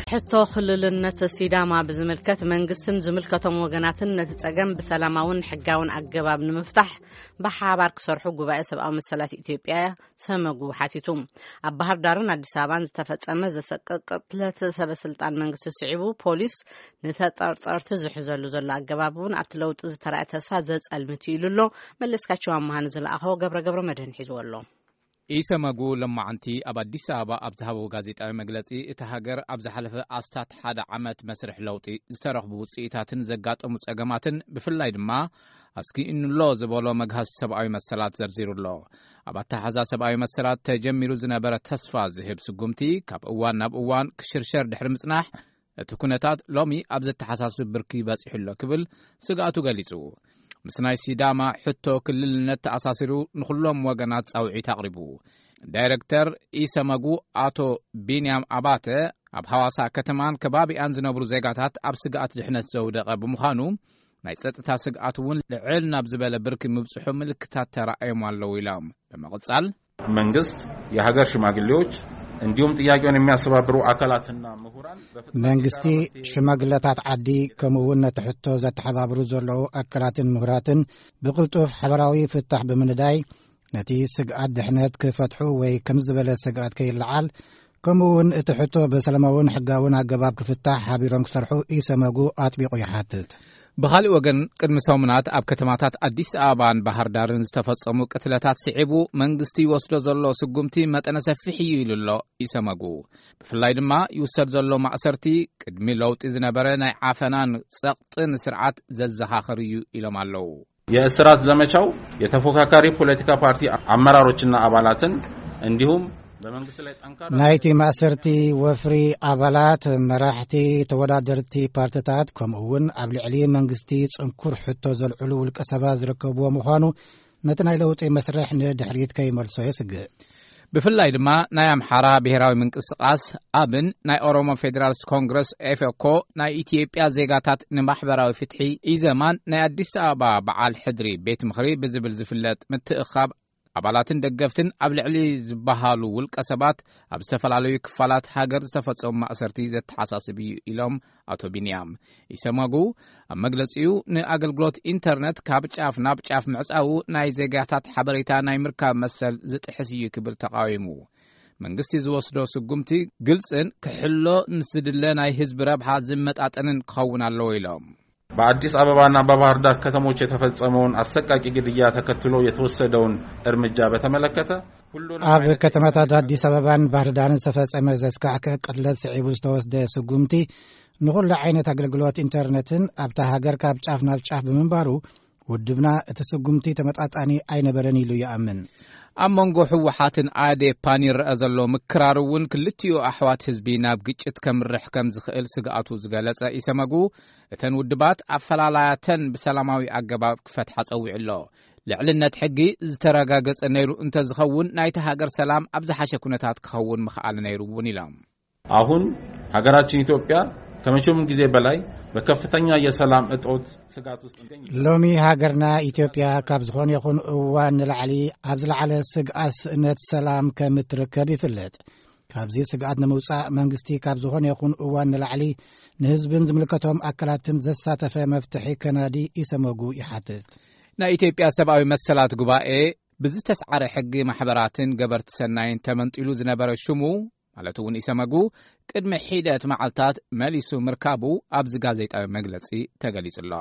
ሕቶ ክልልነት ሲዳማ ብዝምልከት መንግስትን ዝምልከቶም ወገናትን ነቲ ጸገም ብሰላማውን ሕጋውን ኣገባብ ንምፍታሕ ብሓባር ክሰርሑ ጉባኤ ሰብኣዊ መሰላት ኢትዮጵያ ሰመጉ ሓቲቱ። ኣብ ባህር ዳርን ኣዲስ ኣበባን ዝተፈጸመ ዘሰቅቕ ቅትለት ሰበ ስልጣን መንግስቲ ስዒቡ፣ ፖሊስ ንተጠርጠርቲ ዝሕዘሉ ዘሎ ኣገባብ እውን ኣብቲ ለውጢ ዝተራእየ ተስፋ ዘጸልምት እዩ ኢሉ ኣሎ። መለስካቸው ኣመሃ ንዝለኣኸዎ ገብረ ገብረ መድህን ሒዝዎ ኣሎ። ኢሰመጉ ለማዓንቲ ኣብ ኣዲስ ኣበባ ኣብ ዝሃበዎ ጋዜጣዊ መግለጺ፣ እቲ ሃገር ኣብ ዝሓለፈ ኣስታት ሓደ ዓመት መስርሕ ለውጢ ዝተረኽቡ ውጽኢታትን ዘጋጠሙ ጸገማትን፣ ብፍላይ ድማ ኣስጊእኑሎ ዝበሎ መግሃሲ ሰብኣዊ መሰላት ዘርዚሩ ኣሎ። ኣብ ኣተሓዛ ሰብኣዊ መሰላት ተጀሚሩ ዝነበረ ተስፋ ዝህብ ስጉምቲ ካብ እዋን ናብ እዋን ክሽርሸር ድሕሪ ምጽናሕ፣ እቲ ኩነታት ሎሚ ኣብ ዘተሓሳስብ ብርኪ በጺሑ ኣሎ ክብል ስግኣቱ ገሊጹ። ምስ ናይ ሲዳማ ሕቶ ክልልነት ተኣሳሲሩ ንኹሎም ወገናት ጻውዒት ኣቕሪቡ። ዳይረክተር ኢሰመጉ ኣቶ ቢንያም ኣባተ፣ ኣብ ሃዋሳ ከተማን ከባቢኣን ዝነብሩ ዜጋታት ኣብ ስግኣት ድሕነት ዘውደቐ ብምዃኑ፣ ናይ ጸጥታ ስግኣት እውን ልዕል ናብ ዝበለ ብርኪ ምብጽሑ ምልክታት ተራእዮም ኣለዉ ኢሎም። ብምቕጻል፣ መንግስት፣ የሀገር ሽማግሌዎች እንዲሁም ጥያቄውን የሚያስተባብሩ አካላትና ምሁራን በፍጥነት መንግስቲ፣ ሽማግለታት ዓዲ፣ ከምኡ እውን ነቲ ሕቶ ዘተሓባብሩ ዘለዉ ኣካላትን ምሁራትን ብቕልጡፍ ሓበራዊ ፍታሕ ብምንዳይ፣ ነቲ ስግኣት ድሕነት ክፈትሑ ወይ ከም ዝበለ ስግኣት ከይለዓል፣ ከምኡ እውን እቲ ሕቶ ብሰላማውን ሕጋውን ኣገባብ ክፍታሕ ሓቢሮም ክሰርሑ ኢሰመጉ ኣጥቢቑ ይሓትት። ብኻልእ ወገን፣ ቅድሚ ሰሙናት ኣብ ከተማታት ኣዲስ ኣበባን ባህር ዳርን ዝተፈጸሙ ቅትለታት ስዒቡ፣ መንግስቲ ይወስዶ ዘሎ ስጉምቲ መጠነ ሰፊሕ እዩ ኢሉ ኣሎ ኢሰመጉ። ብፍላይ ድማ ይውሰድ ዘሎ ማእሰርቲ፣ ቅድሚ ለውጢ ዝነበረ ናይ ዓፈናን ጸቕጥን ስርዓት ዘዘኻኽር እዩ ኢሎም ኣለዉ። የእስራት ዘመቻው የተፎካካሪ ፖለቲካ ፓርቲ አመራሮችና አባላትን እንዲሁም በመንግስት ላይ ጠንካራ ናይቲ ማእሰርቲ ወፍሪ ኣባላት፣ መራሕቲ ተወዳደርቲ ፓርትታት፣ ከምኡ እውን ኣብ ልዕሊ መንግስቲ ጽንኩር ሕቶ ዘልዕሉ ውልቀ ሰባት ዝርከብዎ ምዃኑ፣ ነቲ ናይ ለውጢ መስርሕ ንድሕሪት ከይመልሶ የስግእ። ብፍላይ ድማ ናይ ኣምሓራ ብሔራዊ ምንቅስቃስ ኣብን ናይ ኦሮሞ ፌዴራልስ ኮንግረስ ኤፌኮ፣ ናይ ኢትዮጵያ ዜጋታት ንማሕበራዊ ፍትሒ ኢዘማን ናይ ኣዲስ ኣበባ በዓል ሕድሪ ቤት ምኽሪ ብዝብል ዝፍለጥ ምትእኻብ ኣባላትን ደገፍትን ኣብ ልዕሊ ዝበሃሉ ውልቀ ሰባት ኣብ ዝተፈላለዩ ክፋላት ሃገር ዝተፈጸሙ ማእሰርቲ ዘተሓሳስብ እዩ ኢሎም ኣቶ ቢንያም። ኢሰመጉ ኣብ መግለጺኡ፣ ንኣገልግሎት ኢንተርነት ካብ ጫፍ ናብ ጫፍ ምዕጻዉ ናይ ዜጋታት ሓበሬታ ናይ ምርካብ መሰል ዝጥሕስ እዩ ክብል ተቃዊሙ። መንግስቲ ዝወስዶ ስጉምቲ ግልጽን ክሕሎ ምስ ዝድለ ናይ ህዝቢ ረብሓ ዝመጣጠንን ክኸውን ኣለዎ ኢሎም። በአዲስ አበባና በባህር ዳር ከተሞች የተፈጸመውን አሰቃቂ ግድያ ተከትሎ የተወሰደውን እርምጃ በተመለከተ፣ ሁሉንም ኣብ አይነት ከተማታት አዲስ አበባን ባህር ዳርን ዝተፈጸመ ዘስካሕክሕ ቅትለት ስዒቡ ዝተወስደ ስጉምቲ፣ ንኹሉ ዓይነት ኣገልግሎት ኢንተርነትን ኣብታ ሃገር ካብ ጫፍ ናብ ጫፍ ብምንባሩ፣ ውድብና እቲ ስጉምቲ ተመጣጣኒ ኣይነበረን ኢሉ ይኣምን። ኣብ መንጎ ህወሓትን ኣዴፓን ይረአ ዘሎ ምክራር እውን፣ ክልቲኡ ኣሕዋት ህዝቢ ናብ ግጭት ከምርሕ ከም ዝኽእል ስግኣቱ ዝገለጸ ኢሰመጉ፣ እተን ውድባት ኣፈላላያተን ብሰላማዊ ኣገባብ ክፈትሓ ጸዊዑ ኣሎ። ልዕልነት ሕጊ ዝተረጋገጸ ነይሩ እንተዝኸውን፣ ናይቲ ሃገር ሰላም ኣብ ዝሓሸ ኩነታት ክኸውን ምኽኣለ ነይሩ እውን ኢሎም። አሁን ሀገራችን ኢትዮጵያ ከመቼውም ጊዜ በላይ በከፍተኛ የሰላም እጦት ስጋት ውስጥ ትገኛለች። ሎሚ ሃገርና ኢትዮጵያ ካብ ዝኾነ ይኹን እዋን ንላዕሊ ኣብ ዝለዓለ ስግኣት ስእነት ሰላም ከም እትርከብ ይፍለጥ። ካብዚ ስግኣት ንምውጻእ መንግስቲ ካብ ዝኾነ ይኹን እዋን ንላዕሊ ንህዝብን ዝምልከቶም ኣካላትን ዘሳተፈ መፍትሒ ከናዲ ኢሰመጉ ይሓትት። ናይ ኢትዮጵያ ሰብኣዊ መሰላት ጉባኤ ብዝተስዓረ ሕጊ ማሕበራትን ገበርቲ ሰናይን ተመንጢሉ ዝነበረ ሽሙ፣ ማለት እውን ኢሰመጉ፣ ቅድሚ ሒደት መዓልታት መሊሱ ምርካቡ ኣብዚ ጋዜጣዊ መግለጺ ተገሊጹ ኣሎ።